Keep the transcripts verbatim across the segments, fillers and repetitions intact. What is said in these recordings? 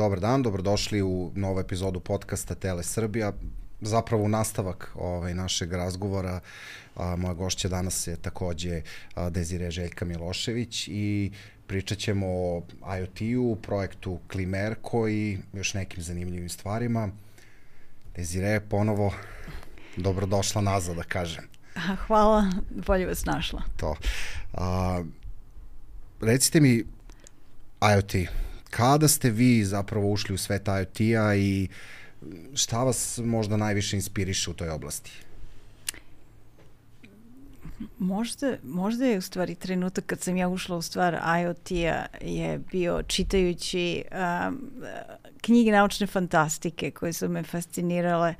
dobar dan, dobrodošli u novu epizodu podcasta Tele Srbija. Zapravo u nastavak ovaj, našeg razgovora, a, moja gošća danas je takođe a, Desiree Željka Milošević i pričat ćemo o I O T-u, projektu Klimerko i još nekim zanimljivim stvarima. Desiree, ponovo dobrodošla nazad, da kažem. Hvala, bolje vas našla. To. A, recite mi, I O T, kada ste vi zapravo ušli u svet I O T-a i šta vas možda najviše inspiriše u toj oblasti? Možda, možda je u stvari trenutak kad sam ja ušla u stvar I O T-a je bio čitajući um, knjige naučne fantastike koje su me fascinirale.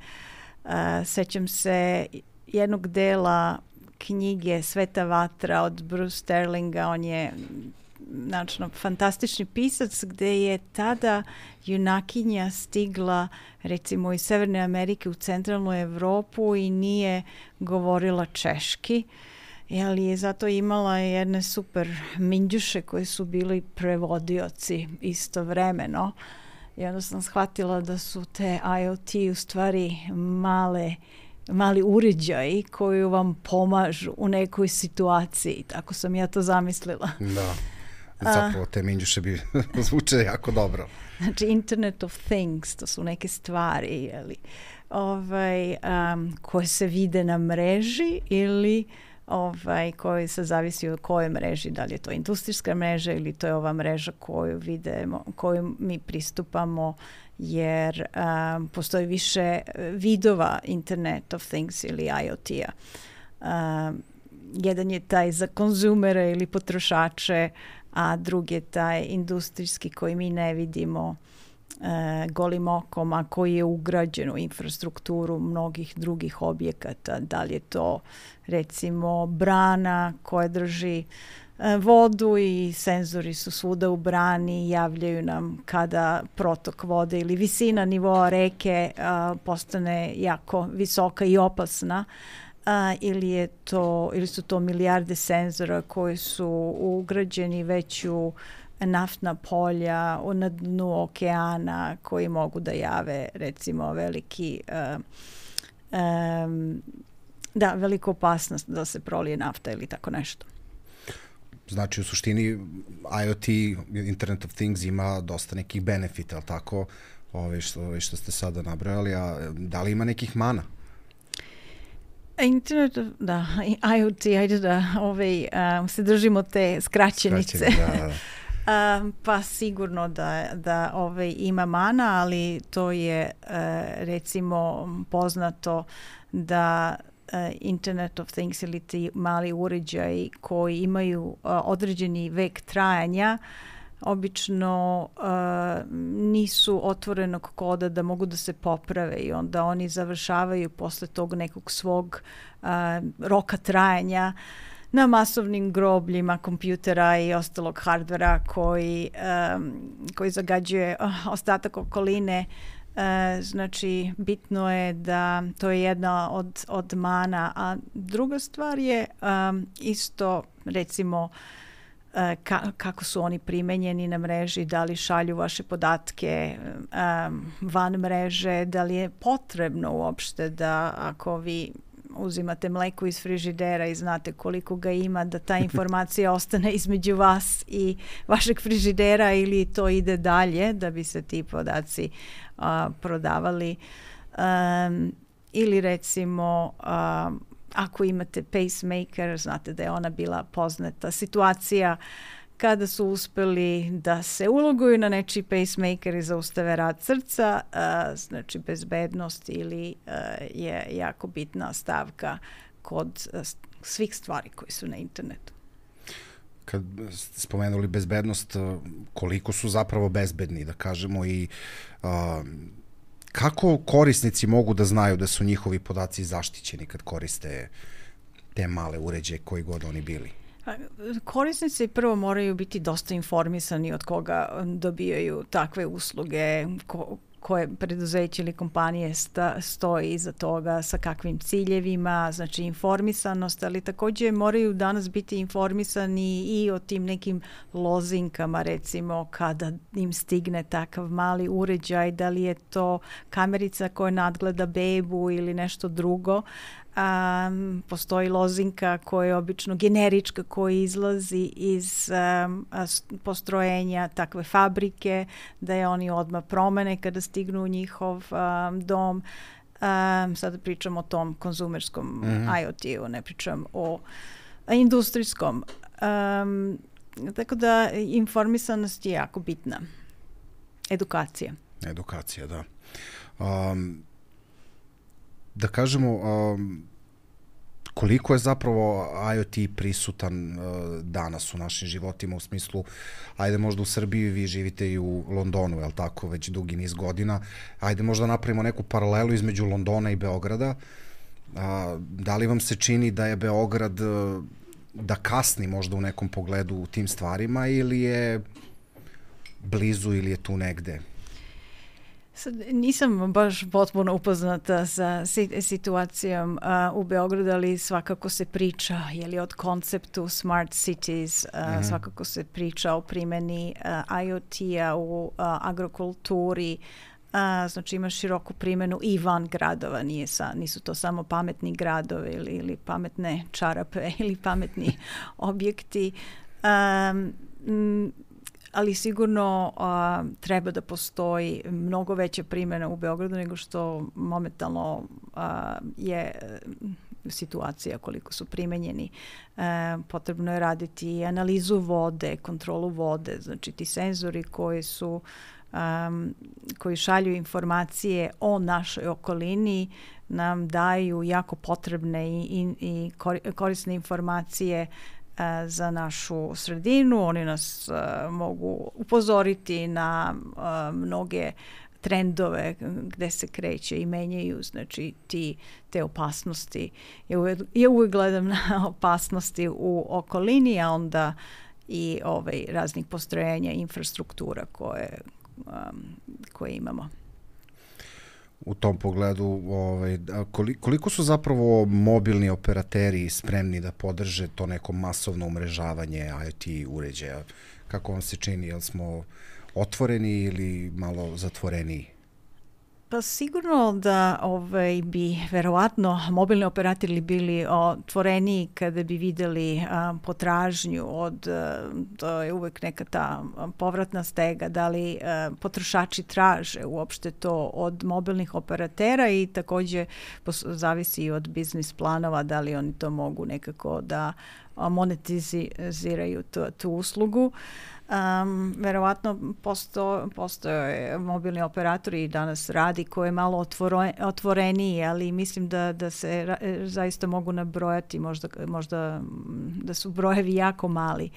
Uh, sećam se jednog dela knjige Sveta vatra od Bruce Sterlinga. On je znači, fantastični pisac gde je tada junakinja stigla recimo iz Severne Amerike u centralnu Evropu i nije govorila češki, ali je zato imala jedne super minđuše koji su bili prevodioci istovremeno. I onda sam shvatila da su te I O T u stvari male mali uređaji koji vam pomažu u nekoj situaciji. Tako sam ja to zamislila. Da. Zapravo te minđuše bi zvuče jako dobro. Znači Internet of Things, to su neke stvari jeli, ovaj, um, koje se vide na mreži ili ovaj, koji se zavisi od koje mreži, da li je to industrijska mreža ili to je ova mreža koju vidimo, koju mi pristupamo, jer um, postoji više vidova Internet of Things ili I O T-a. Um, jedan je taj za konzumere ili potrošače, a drugi je taj industrijski koji mi ne vidimo e, golim okom, a koji je ugrađen u infrastrukturu mnogih drugih objekata. Da li je to recimo brana koja drži e, vodu i senzori su svuda u brani i javljaju nam kada protok vode ili visina nivoa reke a, postane jako visoka i opasna. A, ili, je to, ili su to milijarde senzora koji su ugrađeni već u naftna polja na dnu okeana koji mogu da jave recimo veliki uh, um, da, veliku opasnost da se prolije nafta ili tako nešto. Znači u suštini I O T, Internet of Things ima dosta nekih benefita, ali tako, ove što, ove što ste sada nabrojali, a da li ima nekih mana? Internet, da, I O T, ajde da ovaj, um, se držimo te skraćenice. Skraćeni, da, da. um, pa sigurno da, da ovaj, ima mana, ali to je uh, recimo poznato da uh, Internet of Things ili ti mali uređaji koji imaju uh, određeni vek trajanja obično uh, nisu otvorenog koda da mogu da se poprave i onda oni završavaju posle tog nekog svog uh, roka trajanja na masovnim grobljima kompjutera i ostalog hardvera koji, um, koji zagađuje uh, ostatak okoline. Uh, znači bitno je da to je jedna od, od mana, a druga stvar je um, isto recimo Ka, kako su oni primenjeni na mreži, da li šalju vaše podatke um, van mreže, da li je potrebno uopšte da ako vi uzimate mleko iz frižidera i znate koliko ga ima, da ta informacija ostane između vas i vašeg frižidera ili to ide dalje da bi se ti podaci uh, prodavali. Um, ili recimo um, ako imate pacemaker, znate da je ona bila poznata situacija kada su uspeli da se uloguju na nečiji pacemaker i zaustave rad srca, uh, znači bezbednost ili uh, je jako bitna stavka kod uh, svih stvari koji su na internetu. Kad ste spomenuli bezbednost, koliko su zapravo bezbedni, da kažemo, i uh, kako korisnici mogu da znaju da su njihovi podaci zaštićeni kad koriste te male uređaje koji god oni bili? Korisnici prvo moraju biti dosta informisani od koga dobijaju takve usluge, ko, koje preduzeće ili kompanije sta, stoji iza toga, sa kakvim ciljevima, znači informisanost, ali također moraju danas biti informisani i o tim nekim lozinkama, recimo kada im stigne takav mali uređaj, da li je to kamerica koja nadgleda bebu ili nešto drugo. Um, postoji lozinka koja je obično generička, koja izlazi iz um, postrojenja takve fabrike, da je oni odmah promene kada stignu u njihov um, dom. Um, sada pričam o tom konzumerskom mm-hmm. IoT-u, ne pričam o industrijskom. Um, tako da informisanost je jako bitna. Edukacija. Edukacija, da. Um, da kažemo, um, koliko je zapravo IoT prisutan uh, danas u našim životima, u smislu, ajde možda u Srbiji, vi živite i u Londonu, je li tako, već dugi niz godina, ajde možda napravimo neku paralelu između Londona i Beograda. Uh, da li vam se čini da je Beograd, uh, da kasni možda u nekom pogledu u tim stvarima, ili je blizu, ili je tu negde? Sad, nisam baš potpuno upoznata sa situacijom uh, u Beogradu, ali svakako se priča je li od konceptu smart cities, uh, mm-hmm. svakako se priča o primjeni uh, IoT-a u uh, agrokulturi, uh, znači ima široku primjenu i van gradova, nije sa, nisu to samo pametni gradovi ili, ili pametne čarape ili pametni objekti. Um, m, ali sigurno a, treba da postoji mnogo veća primjena u Beogradu nego što momentalno a, je situacija koliko su primenjeni. E, potrebno je raditi analizu vode, kontrolu vode, znači ti senzori koji su um, koji šalju informacije o našoj okolini nam daju jako potrebne i, i, i korisne informacije za našu sredinu. Oni nas uh, mogu upozoriti na uh, mnoge trendove gde se kreće i menjaju, znači ti, te opasnosti. Ja uvijek, ja uvijek gledam na opasnosti u okolini, a onda i ovaj, raznih postrojenja, infrastruktura koje, um, koje imamo. U tom pogledu, ovaj, koliko su zapravo mobilni operateri spremni da podrže to neko masovno umrežavanje IoT uređaja? Kako vam se čini? Jel smo otvoreni ili malo zatvoreniji? Pa sigurno da ovaj, bi verovatno mobilni operatori bili otvoreniji kada bi videli a, potražnju od, a, to je uvek neka ta povratna stega, da li a, potrošači traže uopšte to od mobilnih operatera i također pos, zavisi od biznis planova, da li oni to mogu nekako da monetiziraju tu, tu uslugu. Um, verovatno posto, postoje mobilni operatori i danas radi koje je malo otvore, otvoreniji, ali mislim da, da se ra, zaista mogu nabrojati, možda, možda da su brojevi jako mali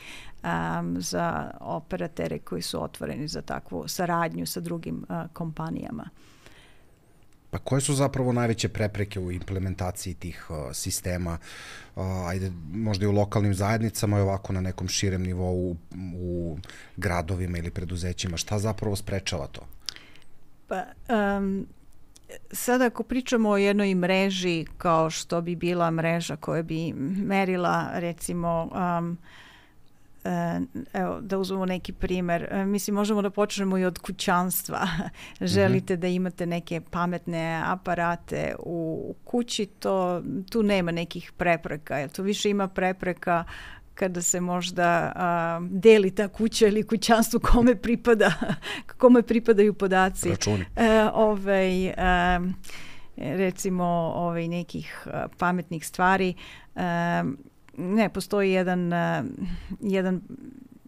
um, za operatere koji su otvoreni za takvu saradnju sa drugim uh, kompanijama. Pa koje su zapravo najveće prepreke u implementaciji tih uh, sistema, uh, ajde možda i u lokalnim zajednicama i ovako na nekom širem nivou u, u gradovima ili preduzećima? Šta zapravo sprečava to? Pa, um, sada ako pričamo o jednoj mreži kao što bi bila mreža koja bi merila recimo um, evo, da uzmemo neki primjer. Mislim, možemo da počnemo i od kućanstva. Želite mm-hmm. da imate neke pametne aparate u kući, to, tu nema nekih prepreka. To više ima prepreka kada se možda a, deli ta kuća ili kućanstvo kome pripada, kome pripadaju podaci. Računi. E, ovaj, a, recimo ovaj, nekih a, pametnih stvari. A, Ne, postoji jedan, uh, jedan,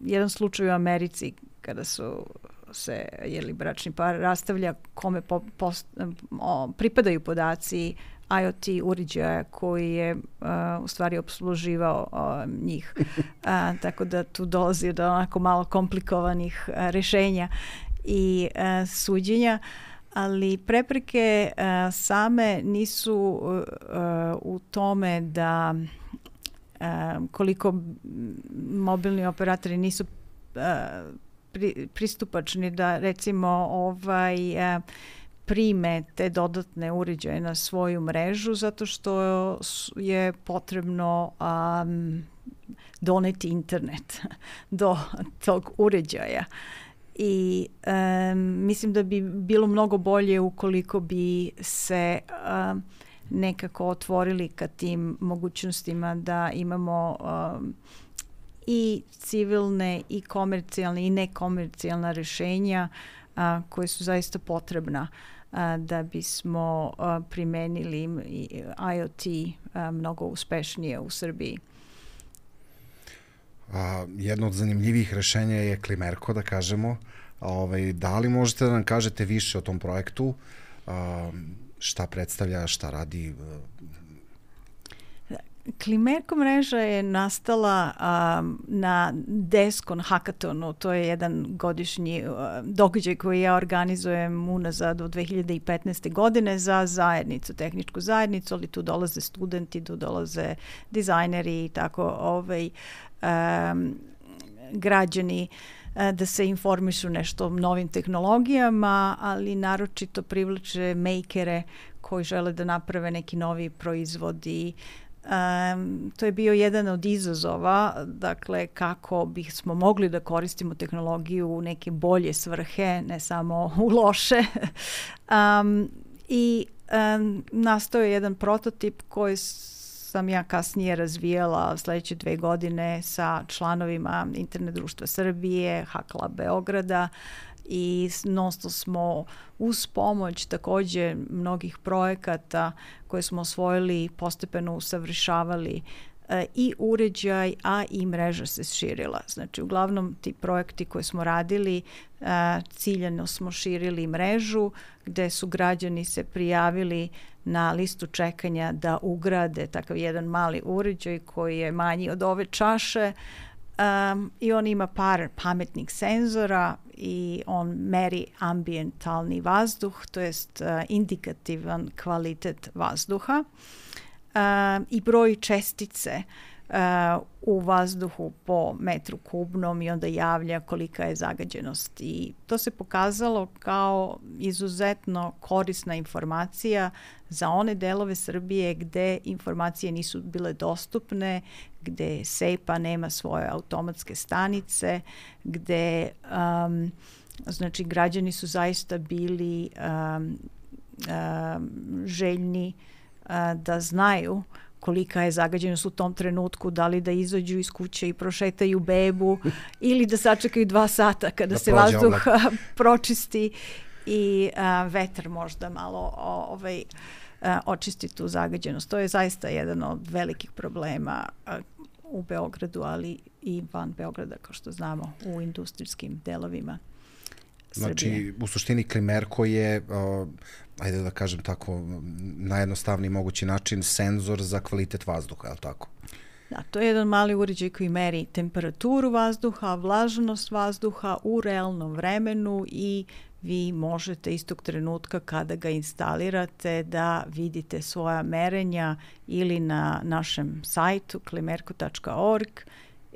jedan slučaj u Americi kada su se jeli, bračni par rastavlja kome po, post, o, pripadaju podaci IoT uređaja koji je uh, u stvari opsluživao uh, njih. Uh, tako da tu dolazi do onako malo komplikovanih uh, rešenja i uh, suđenja. Ali prepreke uh, same nisu uh, uh, u tome da Uh, koliko mobilni operatori nisu uh, pri, pristupačni da recimo ovaj a, prime te dodatne uređaje na svoju mrežu zato što je potrebno um, doneti internet do tog uređaja. I um, mislim da bi bilo mnogo bolje ukoliko bi se um, nekako otvorili ka tim mogućnostima da imamo um, i civilne i komercijalne i nekomercijalna rješenja uh, koje su zaista potrebna uh, da bismo uh, primenili IoT uh, mnogo uspešnije u Srbiji. A, jedno od zanimljivih rešenja je Klimerko, da kažemo. A, ovaj, da li možete da nam kažete više o tom projektu? A, šta predstavlja, šta radi? Klimerko mreža je nastala um, na Deskon Hackathonu. To je jedan godišnji uh, događaj koji ja organizujem unazad od dve hiljade petnaeste. godine za zajednicu, tehničku zajednicu, ali tu dolaze studenti, tu dolaze dizajneri i tako ovaj, um, građani uh, da se informišu nešto o novim tehnologijama, ali naročito privlače makere koji žele da naprave neki novi proizvod i Um, to je bio jedan od izazova, dakle kako bismo mogli da koristimo tehnologiju u neke bolje svrhe, ne samo u loše. um, I um, nastao je jedan prototip koji sam ja kasnije razvijala sljedeće dve godine sa članovima Internet društva Srbije, Hakla Beograda, i non-stop smo uz pomoć također mnogih projekata koje smo osvojili postepeno usavršavali e, i uređaj, a i mreža se širila. Znači, uglavnom ti projekti koje smo radili, e, ciljano smo širili mrežu gde su građani se prijavili na listu čekanja da ugrade takav jedan mali uređaj koji je manji od ove čaše. Um, i on ima par pametnih senzora i on meri ambientalni vazduh, to jest uh, indikativan kvalitet vazduha um, i broj čestice uh, u vazduhu po metru kubnom i onda javlja kolika je zagađenost. I to se pokazalo kao izuzetno korisna informacija za one delove Srbije gde informacije nisu bile dostupne, gde SEPA nema svoje automatske stanice, gde um, znači građani su zaista bili um, um, željni uh, da znaju kolika je zagađenost u tom trenutku, da li da izađu iz kuće i prošetaju bebu ili da sačekaju dva sata kada da se vazduh pročisti i uh, vetar možda malo ovaj, uh, očisti tu zagađenost. To je zaista jedan od velikih problema uh, u Beogradu, ali i van Beograda, kao što znamo, u industrijskim delovima Srbije. Znači, u suštini Klimerko je, uh, ajde da kažem tako, najjednostavniji mogući način, senzor za kvalitet vazduha, je li tako? Da, to je jedan mali uređaj koji meri temperaturu vazduha, vlažnost vazduha u realnom vremenu i vi možete istog trenutka kada ga instalirate da vidite svoja merenja ili na našem sajtu klimerko tačka org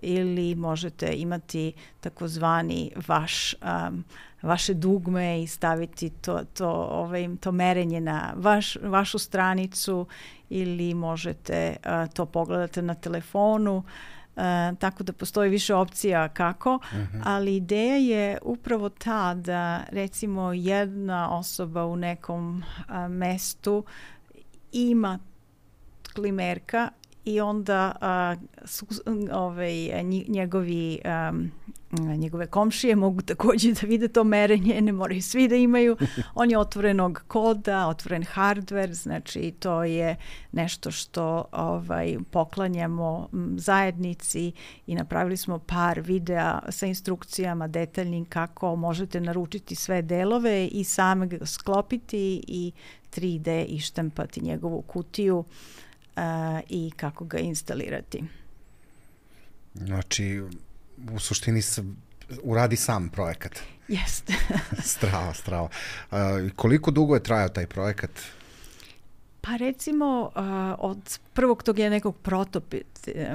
ili možete imati takozvani vaš um, vaše dugme i staviti to, to, ovaj, to merenje na vaš, vašu stranicu ili možete uh, to pogledati na telefonu. Uh, tako da postoji više opcija kako, uh-huh. ali ideja je upravo ta da recimo jedna osoba u nekom uh, mestu ima klimerka i onda uh, su, ovaj, njegovi um, njegove komšije mogu također da vide to merenje, ne moraju svi da imaju. On je otvorenog koda, otvoren hardware, znači to je nešto što ovaj, poklanjamo zajednici i napravili smo par videa sa instrukcijama detaljnim kako možete naručiti sve delove i same ga sklopiti i tri D ištampati njegovu kutiju uh, i kako ga instalirati. Znači, u suštini se uradi sam projekat. Jeste. strava, strava. Uh, koliko dugo je trajao taj projekat? Pa recimo uh, od prvog tog je nekog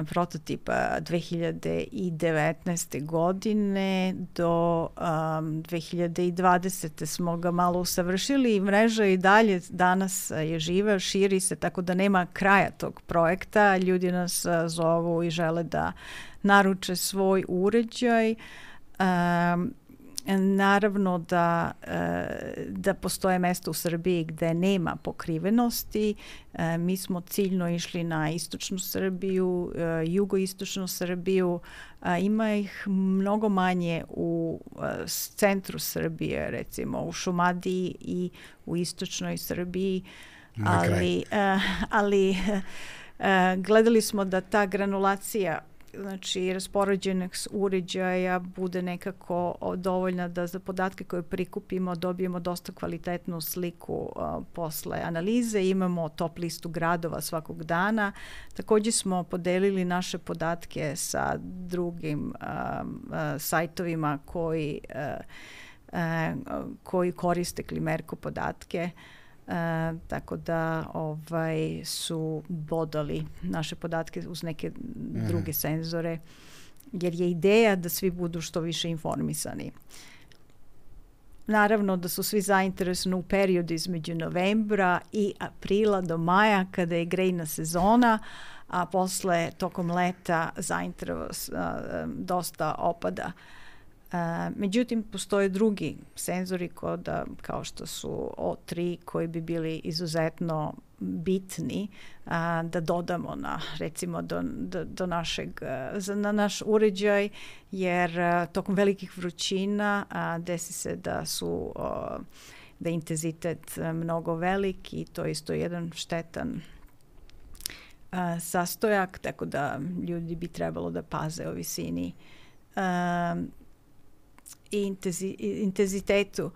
prototipa dve hiljade devetnaeste. godine do um, dve hiljade dvadesete. smo ga malo usavršili i mreža i dalje danas je živa, širi se, tako da nema kraja tog projekta. Ljudi nas uh, zovu i žele da naruče svoj uređaj. Um, Naravno da, da postoje mesta u Srbiji gde nema pokrivenosti. Mi smo ciljno išli na istočnu Srbiju, jugoistočnu Srbiju. Ima ih mnogo manje u centru Srbije, recimo u Šumadiji i u istočnoj Srbiji. Ali, ali gledali smo da ta granulacija, znači raspoređenog uređaja bude nekako dovoljna da za podatke koje prikupimo dobijemo dosta kvalitetnu sliku uh, posle analize. Imamo top listu gradova svakog dana. Također smo podelili naše podatke sa drugim uh, uh, sajtovima koji, uh, uh, koji koriste Klimerko podatke. Uh, tako da ovaj, su bodali naše podatke uz neke mm. druge senzore, jer je ideja da svi budu što više informisani. Naravno da su svi zainteresovani u periodu između novembra i aprila do maja, kada je grejna sezona, a posle tokom leta zainteresovanost uh, dosta opada. Uh, međutim, postoje drugi senzori koda, kao što su O tri, koji bi bili izuzetno bitni uh, da dodamo na, recimo, do, do, do našeg, uh, na naš uređaj, jer uh, tokom velikih vrućina uh, desi se da su uh, da je intenzitet uh, mnogo velik i to je isto jedan štetan uh, sastojak, tako da ljudi bi trebalo da paze o visini uh, i intenzi, intenzitetu. Uh,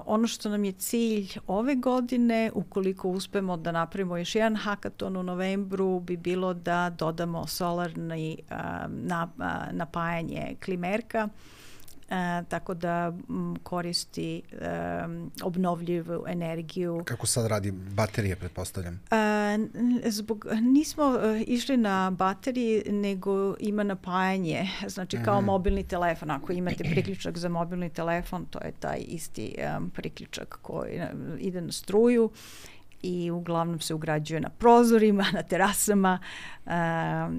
ono što nam je cilj ove godine, ukoliko uspemo da napravimo još jedan hakaton u novembru, bi bilo da dodamo solarni uh, na, uh, napajanje Klimerka, uh, tako da m, koristi um, obnovljivu energiju. Kako sad radi baterije, pretpostavljam? Uh, zbog, nismo uh, išli na bateriji, nego ima napajanje, znači kao mm. mobilni telefon. Ako imate priključak za mobilni telefon, to je taj isti um, priključak koji uh, ide na struju i uglavnom se ugrađuje na prozorima, na terasama. Um,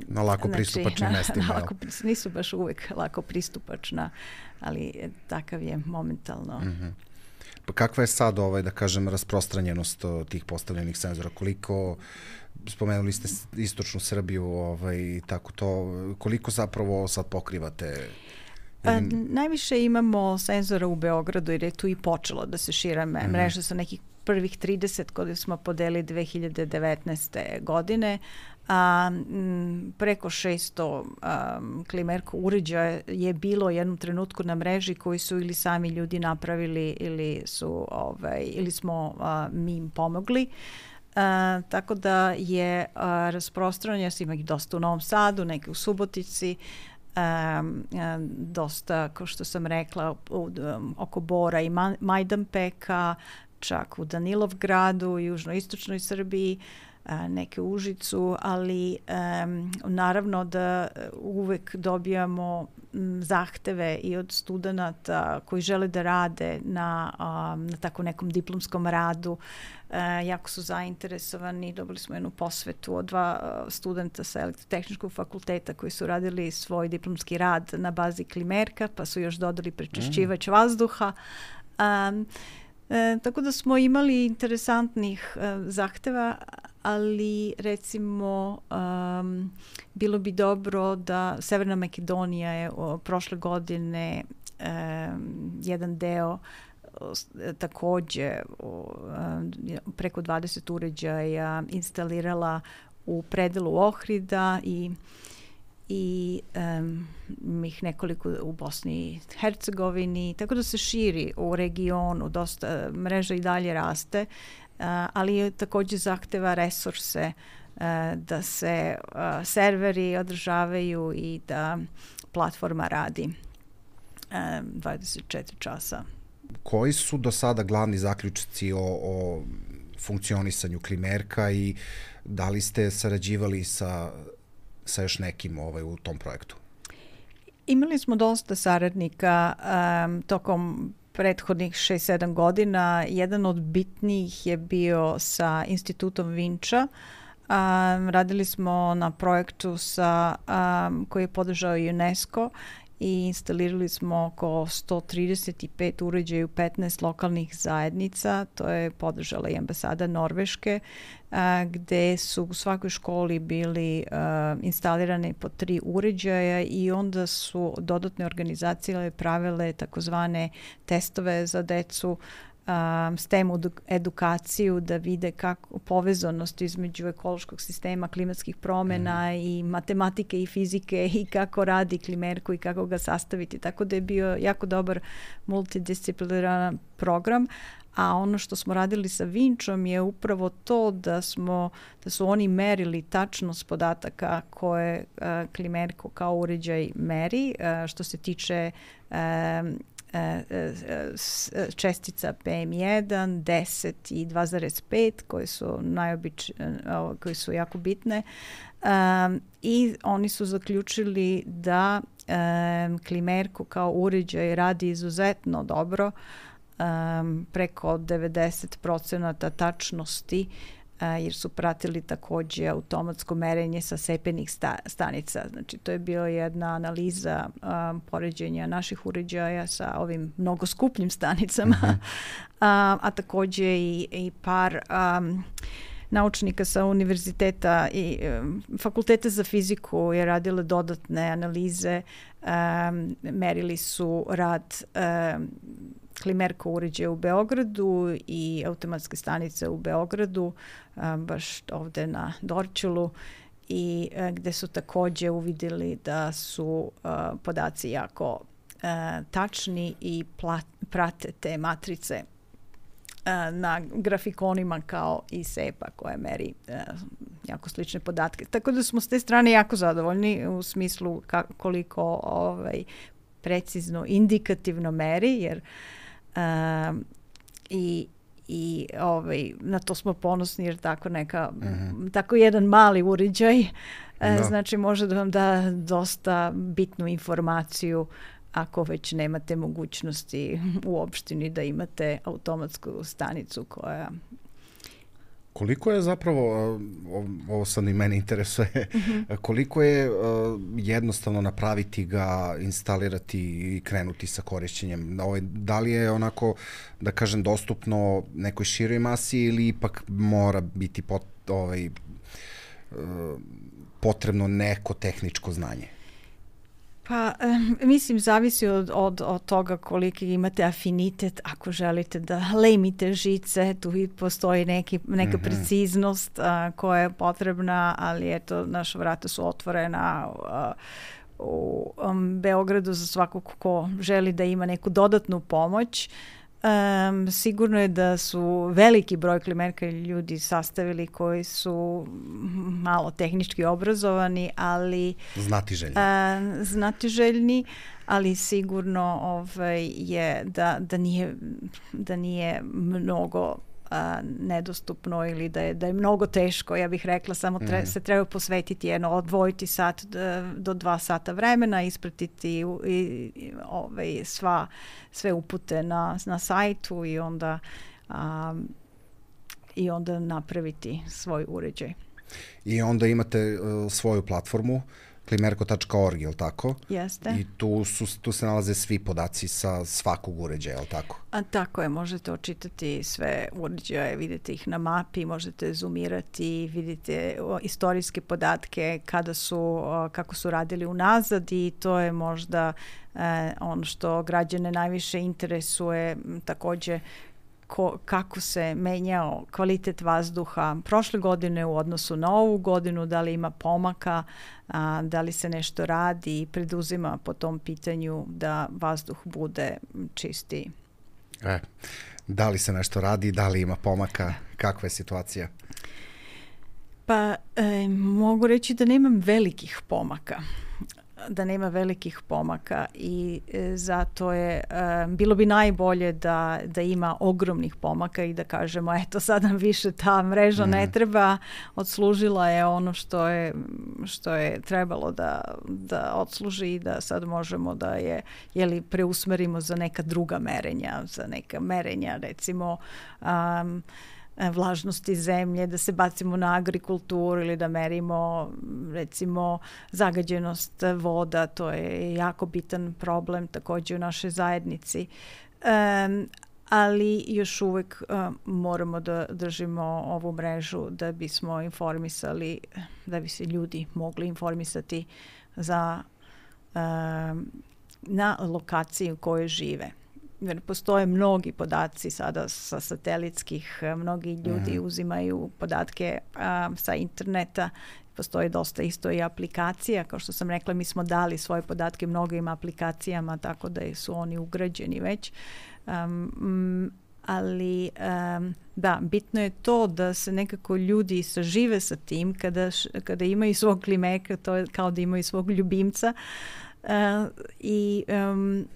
na lako znači, pristupačnim na, mestima. Na lako, nisu baš uvek lako pristupačna, ali takav je momentalno. Mm-hmm. Pa kakva je sad, ovaj, da kažem, rasprostranjenost tih postavljenih senzora? Koliko, spomenuli ste istočnu Srbiju, ovaj, tako to, koliko zapravo sad pokrivate? A, najviše imamo senzora u Beogradu, jer je tu i počelo da se šira mm. mreža sa nekih prvih trideset koje smo podelili dve hiljade devetnaeste. godine. A, m, preko šesto a, Klimerko uređaja je bilo u jednom trenutku na mreži koji su ili sami ljudi napravili ili su ovaj, ili smo a, mi im pomogli. A, tako da je a, rasprostranjeno, ima ih dosta u Novom Sadu, neke u Subotici, Um, um, dosta, kao što sam rekla, u, um, oko Bora i Ma- Majdanpeka, čak u Danilovgradu, u južnoistočnoj Srbiji, uh, neke u Užicu, ali um, naravno da uvek dobijamo m, zahteve i od studenata koji žele da rade na, um, na tako nekom diplomskom radu. Uh, jako su zainteresovani. Dobili smo jednu posvetu od dva uh, studenta sa elektrotehničkog fakulteta koji su radili svoj diplomski rad na bazi Klimerka, pa su još dodali prečišćivač mm. vazduha. Um, e, tako da smo imali interesantnih uh, zahteva, ali recimo um, bilo bi dobro da Severna Makedonija je o, prošle godine um, jedan deo takođe preko dvadeset uređaja instalirala u predelu Ohrida i i um, ih nekoliko u Bosni i Hercegovini, tako da se širi u regionu, dosta mreža i dalje raste, uh, ali takođe zahteva resurse uh, da se uh, serveri održavaju i da platforma radi uh, dvadeset četiri časa. Koji su do sada glavni zaključci o, o funkcionisanju Klimerka i da li ste sarađivali sa, sa još nekim ovaj, u tom projektu? Imali smo dosta saradnika um, tokom prethodnih šest sedam godina. Jedan od bitnijih je bio sa Institutom Vinča. Um, radili smo na projektu sa, um, koji je podržao UNESCO i instalirali smo oko sto trideset pet uređaja u petnaest lokalnih zajednica. To je podržala i ambasada Norveške, a, gde su u svakoj školi bili a, instalirane po tri uređaja i onda su dodatne organizacije pravile takozvane testove za decu, Um, S T E M edukaciju da vide kako povezanost između ekološkog sistema, klimatskih promjena mm. i matematike i fizike i kako radi Klimerko i kako ga sastaviti. Tako da je bio jako dobar multidisciplinaran program. A ono što smo radili sa Vinčom je upravo to da smo da su oni merili tačnost podataka koje uh, Klimerko kao uređaj meri uh, što se tiče um, čestica P M jedan, deset i dva zarez pet koje su najobič, koje su jako bitne. Um, I oni su zaključili da um, Klimerko kao uređaj radi izuzetno dobro, um, preko devedeset procenata tačnosti, jer su pratili takođe automatsko merenje sa sepenih sta, stanica. Znači, to je bila jedna analiza um, poređenja naših uređaja sa ovim mnogo skupljim stanicama, mm-hmm. a, a takođe i, i par um, naučnika sa univerziteta i um, fakulteta za fiziku je radile dodatne analize, um, merili su rad um, Klimerko uređaja u Beogradu i automatske stanice u Beogradu, um, baš ovde na Dorćolu, i uh, gde su takođe uvidjeli da su uh, podaci jako uh, tačni i plat, prate te matrice uh, na grafikonima kao i SEPA koja meri uh, jako slične podatke. Tako da smo s te strane jako zadovoljni u smislu ka, koliko ovaj, precizno, indikativno meri, jer Um, i, i ovaj, na to smo ponosni jer tako neka mm-hmm. tako jedan mali uređaj no. znači može da vam da dosta bitnu informaciju ako već nemate mogućnosti u opštini da imate automatsku stanicu koja... Koliko je zapravo, ovo sad i mene interesuje, mm-hmm. koliko je jednostavno napraviti ga, instalirati i krenuti sa korišćenjem? Da li je onako, da kažem, dostupno nekoj široj masi ili ipak mora biti pot, ovaj, potrebno neko tehničko znanje? Pa, eh, mislim, zavisi od, od, od toga koliki imate afinitet. Ako želite da lemite žice, tu postoji neki, neka mm-hmm. preciznost a, koja je potrebna, ali eto, naša vrata su otvorena a, u um, Beogradu za svakog ko želi da ima neku dodatnu pomoć. Um, sigurno je da su veliki broj Klimerka ljudi sastavili koji su malo tehnički obrazovani, ali znatiželjni, uh, znatiželjni ali sigurno ovaj, je da, da, nije, da nije mnogo a, nedostupno ili da je, da je mnogo teško, ja bih rekla, samo tre, mm. se treba posvetiti jedno, odvojiti sat do dva sata vremena, ispratiti i, i, ovaj, sva, sve upute na, na sajtu i onda, a, i onda napraviti svoj uređaj. I onda imate uh, svoju platformu klimerko tačka org, je li tako? Jeste. I tu, su, tu se nalaze svi podaci sa svakog uređaja, je li tako? A, tako je, možete očitati sve uređaje, vidite ih na mapi, možete zoomirati, vidite o, istorijske podatke, kada su, o, kako su radili unazad i to je možda e, ono što građane najviše interesuje, takođe Ko, kako se menjao kvalitet vazduha prošle godine u odnosu na ovu godinu, da li ima pomaka, a, da li se nešto radi i preduzima po tom pitanju da vazduh bude čistiji. E, da li se nešto radi, da li ima pomaka, kakva je situacija? Pa e, mogu reći da nemam velikih pomaka. da nema velikih pomaka i e, zato je e, bilo bi najbolje da, da ima ogromnih pomaka i da kažemo eto sad nam više ta mreža mm. ne treba, odslužila je ono što je, što je trebalo da, da odsluži i da sad možemo da je jeli, preusmerimo za neka druga merenja, za neka merenja recimo um, vlažnosti zemlje, da se bacimo na agrikulturu ili da merimo recimo zagađenost voda, to je jako bitan problem također u našoj zajednici. Um, ali još uvijek um, moramo da držimo ovu mrežu da bismo informisali, da bi se ljudi mogli informisati za um, na lokaciji u kojoj žive. Jer postoje mnogi podaci sada sa satelitskih, mnogi ljudi mm. uzimaju podatke um, sa interneta, postoji dosta isto i aplikacija, kao što sam rekla, mi smo dali svoje podatke mnogim aplikacijama, tako da su oni ugrađeni već. Um, ali um, da, bitno je to da se nekako ljudi sažive sa tim kada, kada imaju svog klimeka, to je kao da imaju svog ljubimca uh, i um,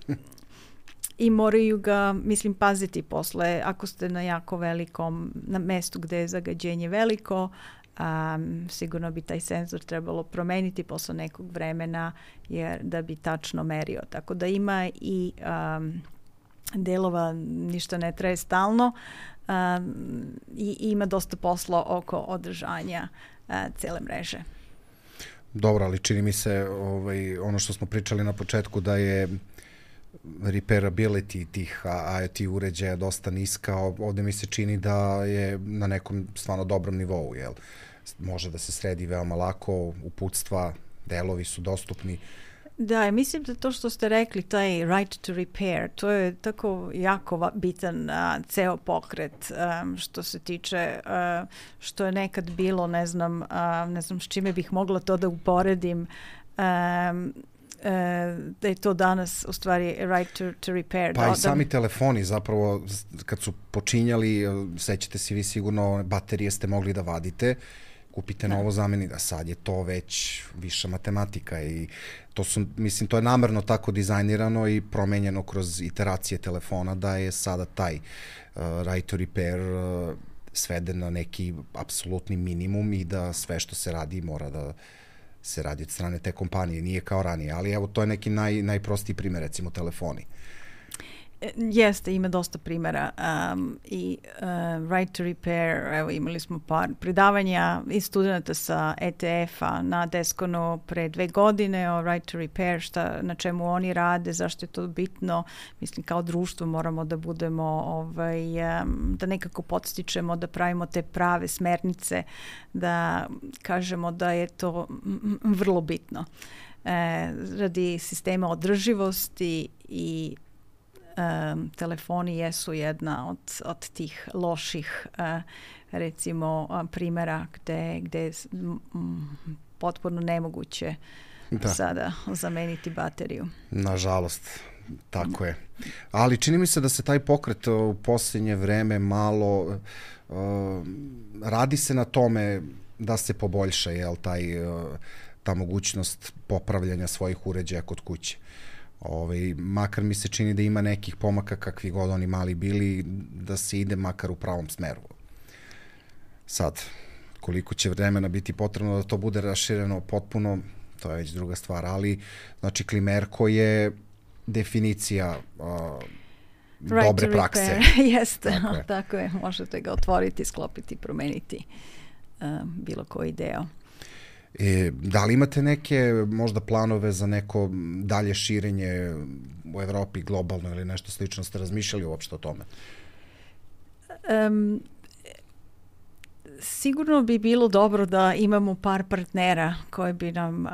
i moraju ga, mislim, paziti posle. Ako ste na jako velikom, na mestu gde je zagađenje veliko, um, sigurno bi taj senzor trebalo promeniti posle nekog vremena jer da bi tačno merio. Tako da ima i um, delova, ništa ne traje stalno um, i ima dosta posla oko održanja uh, cele mreže. Dobro, ali čini mi se ovaj, ono što smo pričali na početku da je repairability tih IoT uređaja dosta niska. Ovdje mi se čini da je na nekom stvarno dobrom nivou. Jel? Može da se sredi veoma lako, uputstva, delovi su dostupni. Da, mislim da to što ste rekli, taj right to repair, to je tako jako bitan uh, ceo pokret um, što se tiče, uh, što je nekad bilo, ne znam, uh, ne znam s čime bih mogla to da uporedim, um, Uh, da je to danas u stvari right to, to repair. Pa da, i sami da... telefoni zapravo kad su počinjali, sećate se vi sigurno, baterije ste mogli da vadite, kupite da. novo zameni, a sad je to već viša matematika i to su, mislim, to je namerno tako dizajnirano i promenjeno kroz iteracije telefona da je sada taj uh, right to repair uh, sveden na neki apsolutni minimum i da sve što se radi mora da se radi od strane te kompanije, nije kao ranije, ali evo to je neki naj, najprostiji primjer, recimo telefoni. Jeste, ima dosta primjera um, i uh, right to repair, evo imali smo par predavanja i studenta sa E T F-a na Deskonu pre dve godine o right to repair, šta, na čemu oni rade, zašto je to bitno. Mislim, kao društvo moramo da budemo, ovaj, um, da nekako podstičemo, da pravimo te prave smernice, da kažemo da je to vrlo bitno. E, radi sistema održivosti i Um, telefoni jesu jedna od, od tih loših uh, recimo um, primjera gde, gde je um, potpuno nemoguće da. sada zameniti bateriju. Nažalost, tako je. Ali čini mi se da se taj pokret u posljednje vreme malo uh, radi se na tome da se poboljša, jel, taj, uh, ta mogućnost popravljanja svojih uređaja kod kuće. Ovaj, makar mi se čini da ima nekih pomaka kakvi god oni mali bili, da se ide makar u pravom smeru. Sad, koliko će vremena biti potrebno da to bude rašireno potpuno, to je već druga stvar, ali znači Klimerko je definicija uh, right dobre prakse. Jeste, tako je. tako je, možete ga otvoriti, sklopiti, promeniti uh, bilo koji deo. E, da li imate neke možda planove za neko dalje širenje u Evropi globalno ili nešto slično? Ste razmišljali uopšte o tome? Um, sigurno bi bilo dobro da imamo par partnera koji bi nam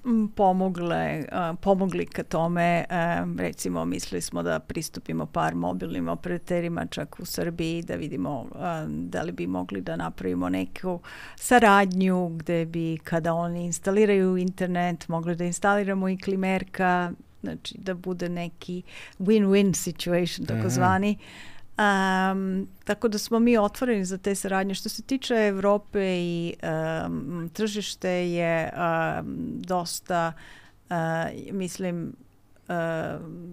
um, pomogle, um, pomogli ka tome. Um, recimo, mislili smo da pristupimo par mobilnim operaterima čak u Srbiji, da vidimo um, da li bi mogli da napravimo neku saradnju gde bi, kada oni instaliraju internet, mogli da instaliramo i Klimerka, znači da bude neki win-win situation, takozvani. Mm-hmm. Um, tako da smo mi otvoreni za te saradnje. Što se tiče Evrope i um, tržište je um, dosta Uh, mislim, Uh,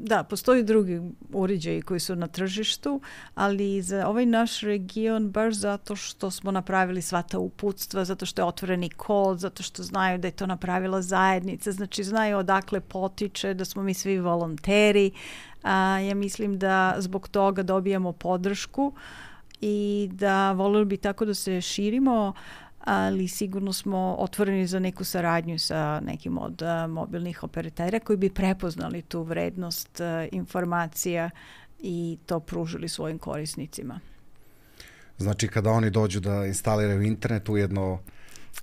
da, postoji drugi uređaji koji su na tržištu, ali za ovaj naš region baš zato što smo napravili sva ta uputstva, zato što je otvoreni kod, zato što znaju da je to napravila zajednica, znači znaju odakle potiče, da smo mi svi volonteri. Uh, ja mislim da zbog toga dobijamo podršku i da voljeli bi tako da se širimo, ali sigurno smo otvoreni za neku saradnju sa nekim od uh, mobilnih operatera koji bi prepoznali tu vrednost uh, informacija i to pružili svojim korisnicima. Znači kada oni dođu da instaliraju internet, ujedno...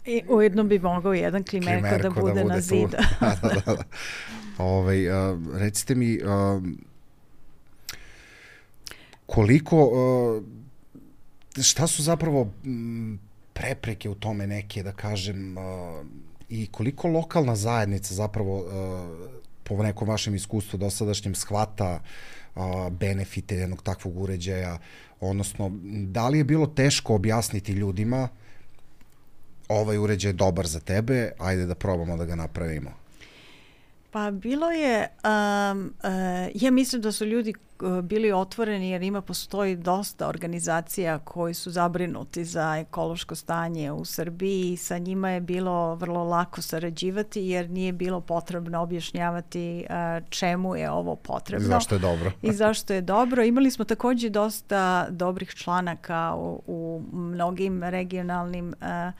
I ujedno bi mogao jedan klimerko, klimerko da bude, da bude na zidu. da, da, da, da. Ove, uh, recite mi, uh, koliko, uh, šta su zapravo... Um, prepreke u tome neke, da kažem, uh, i koliko lokalna zajednica zapravo uh, po nekom vašem iskustvu dosadašnjem shvata uh, benefite jednog takvog uređaja, odnosno da li je bilo teško objasniti ljudima ovaj uređaj je dobar za tebe, ajde da probamo da ga napravimo? Pa bilo je, um, uh, ja mislim da su ljudi bili otvoreni jer ima postoji dosta organizacija koji su zabrinuti za ekološko stanje u Srbiji i sa njima je bilo vrlo lako sarađivati jer nije bilo potrebno objašnjavati uh, čemu je ovo potrebno. I zašto je dobro. I zašto je dobro. Imali smo također dosta dobrih članaka u, u mnogim regionalnim uh,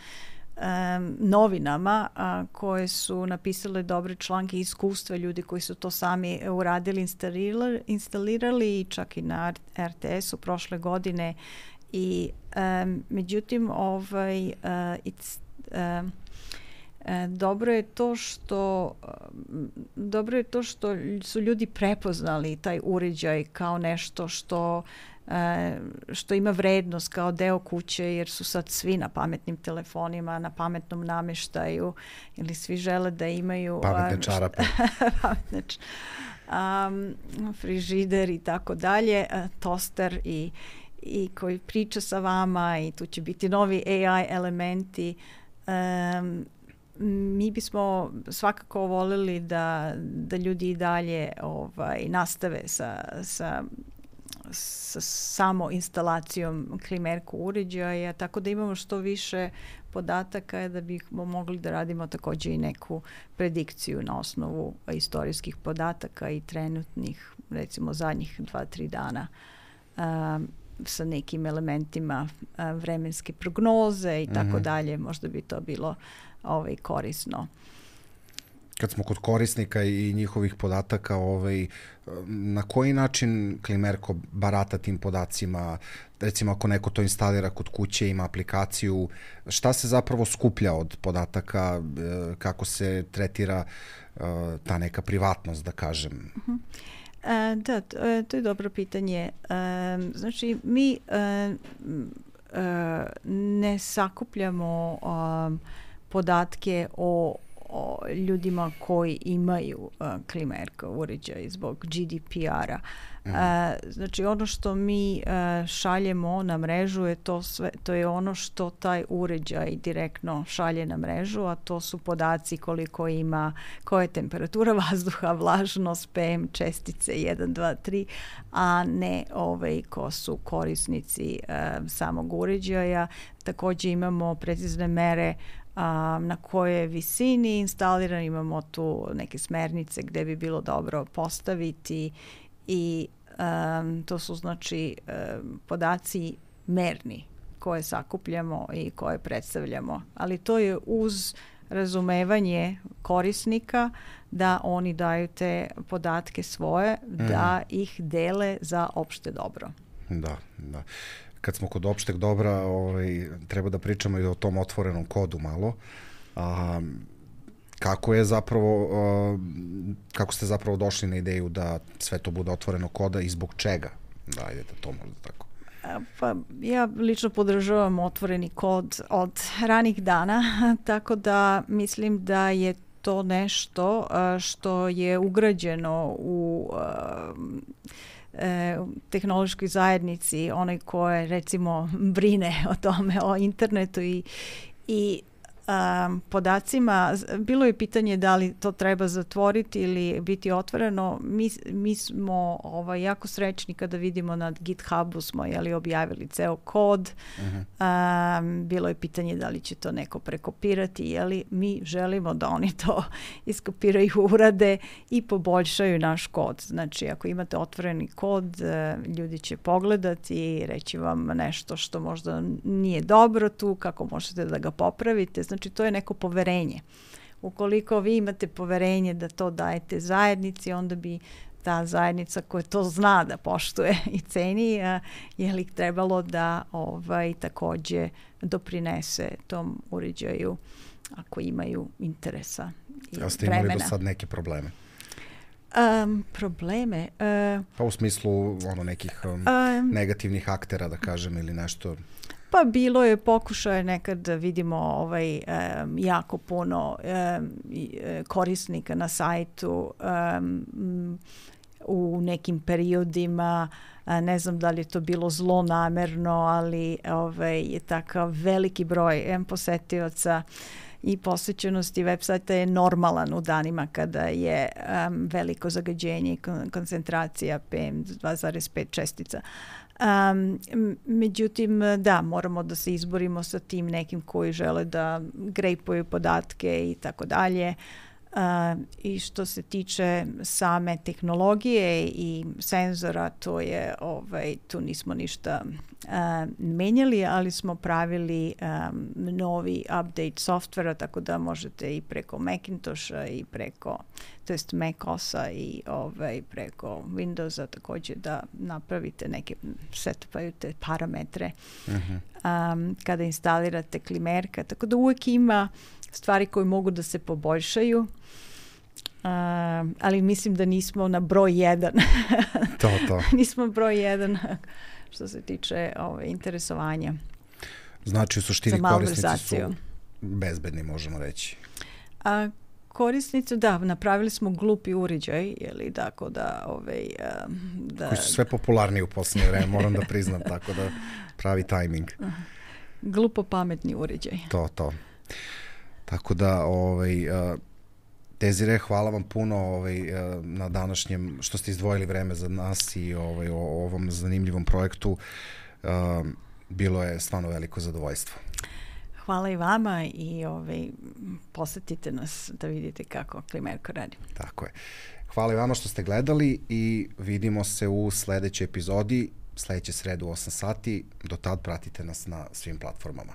Um, novinama a, koje su napisale dobre članke, iskustva ljudi koji su to sami uradili, instalirali, instalirali i čak i na R T S-u prošle godine i um, međutim ovaj, uh, it's, um, E, dobro je to što dobro je to što su ljudi prepoznali taj uređaj kao nešto što e, što ima vrednost kao deo kuće jer su sad svi na pametnim telefonima, na pametnom nameštaju ili svi žele da imaju pametne čarape, pametne č, um, frižider i tako dalje, toster i, i koji priča sa vama i tu će biti novi A I elementi. Um, mi bismo svakako voljeli da, da ljudi i dalje ovaj, nastave sa, sa, sa samo instalacijom klimerko uređaja, tako da imamo što više podataka da bismo mogli da radimo također i neku predikciju na osnovu istorijskih podataka i trenutnih, recimo zadnjih dva, tri dana um, sa nekim elementima uh, vremenske prognoze i tako mm-hmm. dalje. Možda bi to bilo ovaj, korisno. Kad smo kod korisnika i njihovih podataka, ovaj, na koji način klimerko barata tim podacima? Recimo ako neko to instalira kod kuće, ima aplikaciju, šta se zapravo skuplja od podataka, kako se tretira ta neka privatnost, da kažem? Uh-huh. E, da, to je dobro pitanje. E, znači, mi e, e, ne sakupljamo um, podatke o, o ljudima koji imaju uh, klimerko uređaj zbog G D P R-a. Mm. Uh, znači ono što mi uh, šaljemo na mrežu je to sve, to je ono što taj uređaj direktno šalje na mrežu, a to su podaci koliko ima, koja je temperatura vazduha, vlažnost, P M čestice jedan, dva, tri, a ne ovaj ko su korisnici uh, samog uređaja. Također imamo precizne mere a, na kojoj visini instaliran, imamo tu neke smernice gdje bi bilo dobro postaviti i um, to su znači um, podaci merni koje sakupljamo i koje predstavljamo, ali to je uz razumevanje korisnika da oni daju te podatke svoje, mm. da ih dele za opšte dobro. Da, da. Kad smo kod opšteg dobra, ovaj, treba da pričamo i o tom otvorenom kodu malo. A, kako je zapravo, a, kako ste zapravo došli na ideju da sve to bude otvoreno koda i zbog čega? Da, ajde da to možda tako. Pa ja lično podržavam otvoreni kod od ranih dana, tako da mislim da je to nešto a, što je ugrađeno u a, u tehnološkoj zajednici, onaj koje recimo brine o tome, o internetu i, i um, podacima. Bilo je pitanje da li to treba zatvoriti ili biti otvoreno. Mi, mi smo ovaj, jako srećni kada vidimo na GitHubu smo jeli, objavili ceo kod. Uh-huh. Um, bilo je pitanje da li će to neko prekopirati. Jeli, mi želimo da oni to iskopiraju, urade i poboljšaju naš kod. Znači, ako imate otvoreni kod, ljudi će pogledati i reći vam nešto što možda nije dobro tu, kako možete da ga popravite. Znači, to je neko poverenje. Ukoliko vi imate poverenje da to dajete zajednici, onda bi ta zajednica koja to zna da poštuje i ceni, je li trebalo da ovaj, takođe doprinese tom uređaju ako imaju interesa i vremena. A ste imali do sad neke probleme? Um, probleme? Uh, pa u smislu ono, nekih um, um, negativnih aktera, da kažem, ili nešto... Pa bilo je pokušaje nekad da vidimo ovaj, um, jako puno um, korisnika na sajtu um, u nekim periodima. Ne znam da li je to bilo zlonamerno, ali ovaj, je takav veliki broj em, posetioca i posvećenosti web sajta je normalan u danima kada je um, veliko zagađenje i kon- koncentracija P M dva zarez pet čestica. Um, međutim, da, moramo da se izborimo sa tim nekim koji žele da grejpuju podatke i tako dalje. Uh, I što se tiče same tehnologije i senzora, to je, ovaj, tu nismo ništa uh, menjali, ali smo pravili um, novi update softvera, tako da možete i preko Macintosha i preko, to jest macOS-a i ovaj, preko Windowsa također da napravite neke, setupajute parametre uh-huh. um, kada instalirate Klimerka, tako da uvijek ima stvari koje mogu da se poboljšaju, uh, ali mislim da nismo na broj jedan. to, to. Nismo broj jedan što se tiče ove, interesovanja. Znači u suštini korisnici su bezbedni, možemo reći. A, korisnici, da, napravili smo glupi uređaj, jeli, tako da, ovaj, da... Koji su sve popularniji u posljednje vreme, moram da priznam, tako da pravi tajming. Glupo pametni uređaj. To, to. Tako da, ovaj, uh, Desire, hvala vam puno ovaj, uh, na današnjem, što ste izdvojili vreme za nas i ovaj, o, o ovom zanimljivom projektu. Uh, bilo je stvarno veliko zadovoljstvo. Hvala i vama i ovaj, posetite nas da vidite kako Klimerko radi. Tako je. Hvala i vama što ste gledali i vidimo se u sledećoj epizodi, sledeće sredu u osam sati. Do tad pratite nas na svim platformama.